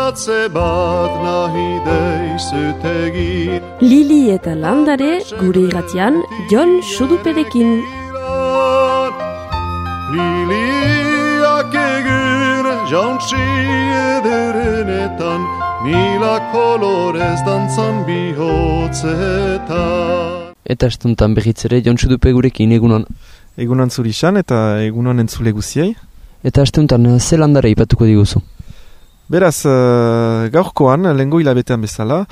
baratze bat nahi deizut egin. Lili eta landare gure irratian Jon Suduperekin. Liliak egin jauntsi ederenetan, mila kolorez dantzan bihotzetan. Eta estuntan behitzere Jon Sudupe gurekin egunon. Egunon zurisan eta egunon entzule guziei. Eta estuntan ze landare ipatuko diguzu? Beraz, gaurkoan, lehengo hilabetean bezala,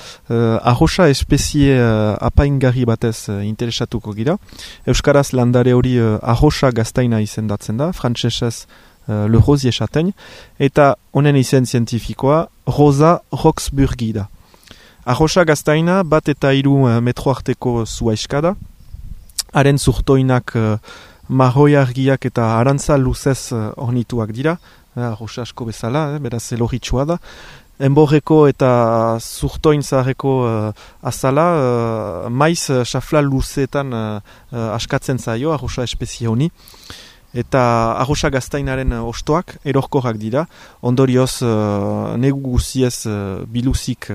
arrosa espezie apaingarri batez interesatuko gira. Euskaraz landare hori arrosa gaztaina izendatzen da, frantsesez le rosier châtaigne, eta honen izen zientifikoa Rosa roxburghi da. Arrosa gaztaina bat eta 3 metro arteko zuaiska da, haren zurtoinak marroi argiak eta arantza luzez ornituak dira, arrosa asko bezala, beraz eloritsua da. Enborreko eta zurtoin zaharreko azala, maiz xafla luzeetan askatzen zaio arrosa espezie honi. Eta arrosa gaztainaren ostoak erorkorrak dira, ondorioz negu guziez biluzik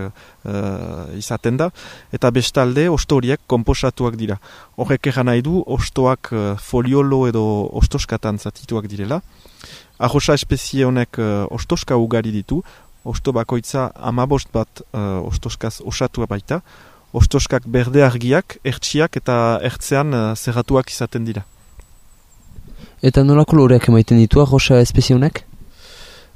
izaten da, eta bestalde osto horiek konposatuak dira. Horrek eran nahi du ostoak foliolo edo ostoskatan zatituak direla. Arrosa espezie honek ostoska ugari ditu, osto bakoitza 15 bat ostoskaz osatua baita, ostoskak berde argiak, ertsiak eta ertzean zerratuak izaten dira. Eta nola koloreak emaiten ditu arrosa espezie honek?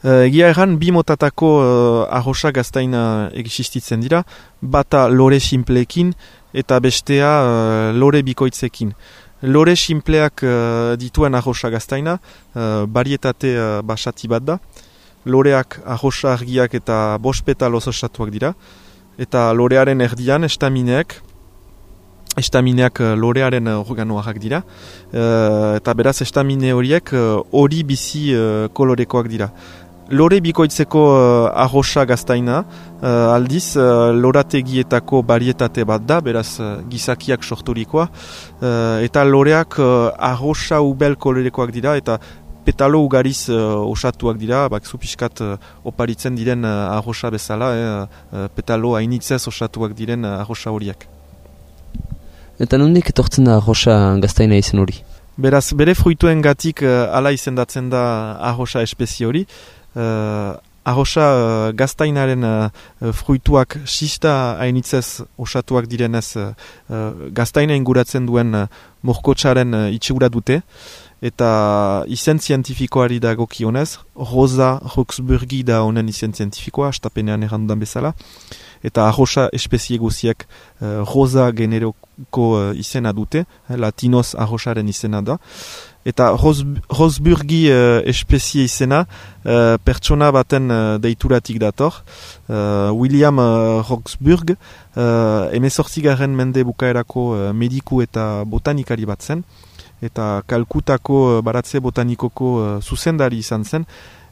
Egia erran, 2 motatako arrosa gaztaina existitzen dira, bata lore simpleekin eta bestea lore bikoitzekin. Lore simpleak dituen arrosa gaztaina, barietate basati bat da. Loreak arrosa argiak eta 5 petaloz osatuak dira. Eta lorearen erdian estamineak lorearen organoak dira. Eta beraz estamine horiek hori bizi kolorekoak dira. Lore bikoitzeko arrosa gaztaina, aldiz lorategietako barietate bat da, beraz gizakiak sorturikoa, eta loreak arrosa ubel kolorekoak dira, eta petalo ugariz osatuak dira, zupiskat oparitzen diren arrosa bezala, petalo hainitzez osatuak diren arrosa horiek. Eta nondik etortzen da arrosa gaztaina izen hori? Beraz, bere fruituen gatik ala izendatzen da arrosa espezie hori. Arrosa gaztainaren fruituak sista hainitzez osatuak direnez gaztaina inguratzen duen morkotsaren itxura dute, eta izen zientifikoari dagokionez, Rosa roxburghi da honen izen zientifikoa, astapenean errandudan bezala, eta arrosa espezie guziek rosa generoko izena dute, latinoz arrosaren izena da. Eta roxburghi espezie izena pertsona baten deituratik dator. William Roxburgh 18. mende bukaerako mediku eta botanikari bat zen, eta Kalkutako baratze botanikoko zuzendari izan zen,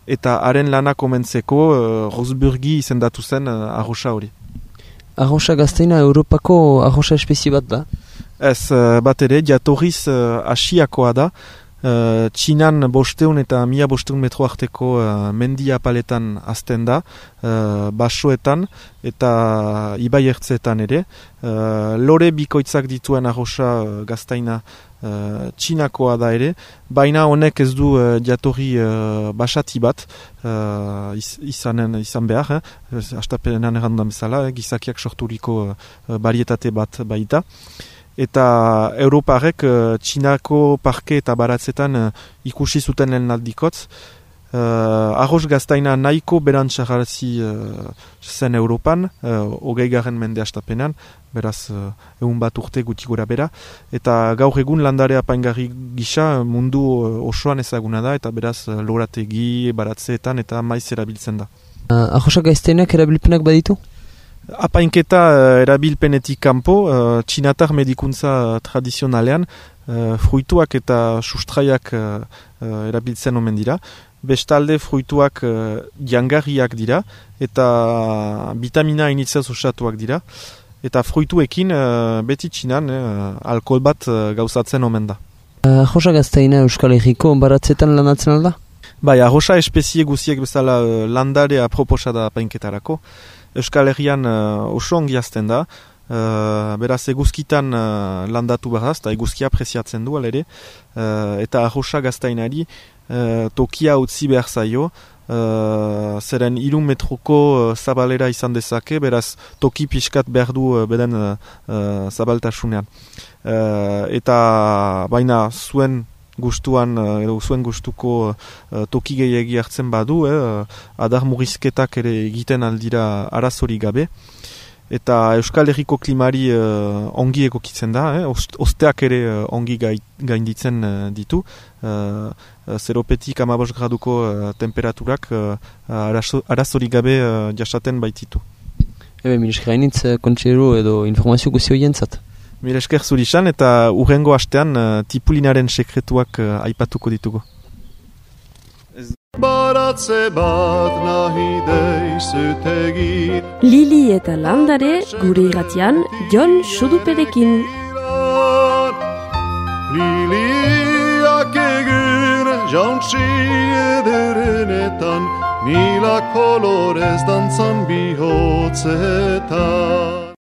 eta haren lana komentzeko Roxburghi izendatu zen arrosa hori. Arrosa gaztaina Europako arrosa espezie bat da? Ez, bat ere, jatorriz asiakoa da. Txinan 500 eta 1500 metro arteko mendi apaletan azten da, basoetan eta ibai ertzeetan ere. Lore bikoitzak dituen arrosa gaztaina txinakoa da ere, baina honek ez du jatorri basati bat izan behar, astapenean errandudan bezala, gizakiak sorturiko barietate bat baita. Eta Europarek Txinako parke eta baratzetan ikusi zuten lehen aldikotz. Arroz gaztaina nahiko berantxarrazi zen Europan, 20. mende astapenean, beraz 100 bat urte guti gora bera. Eta gaur egun landare apaingarri gisa mundu osoan ezaguna da, eta beraz lorategi, baratzeetan eta maiz erabiltzen da. Arroza gaztainak erabilpenak baditu? Apainketa erabilpenetik kanpo, txinatar medikuntza tradizionalean, fruituak eta sustraiak erabiltzen omen dira. Bestalde fruituak jangarriak dira eta vitamina hainitzez osatuak dira. Eta fruituekin beti txinan alkohol bat gauzatzen omen da. Arroza gaztaina Euskal Herriko baratzetan lanatzen alda? Bai, arrosa espezie guziek bezala landare aproposa da apainketarako. Euskal Herrian oso ongi azten da. Beraz, eguzkitan landatu behar da, eta eguzkia apresiatzen du alere. Eta arrosa gaztainari tokia utzi behar zaio. Zeren 3 metroko zabalera izan dezake, beraz toki pixkat behar du beden zabaltasunean. Eta baina zuen gustuan edo zuen gustuko toki gehiagi hartzen badu, adar murrizketak ere egiten aldira arazori gabe. Eta Euskal Herriko klimari ongi egokitzen da, osteak ere ongi gainditzen ditu. 0-petik 15 graduko temperaturak arazori gabe jasaten baititu. Mil esker hainitz kontxero edo informazio guzio jentzat. Mil esker zurisan eta urrengo astean tipulinaren sekretuak aipatuko ditugu. Baratze bat nahi deizut egin. Lili eta landare gure irratian Jon Suduperekin. Liliak egin jauntsi ederenetan, mila kolorez dantzan bihotzetan.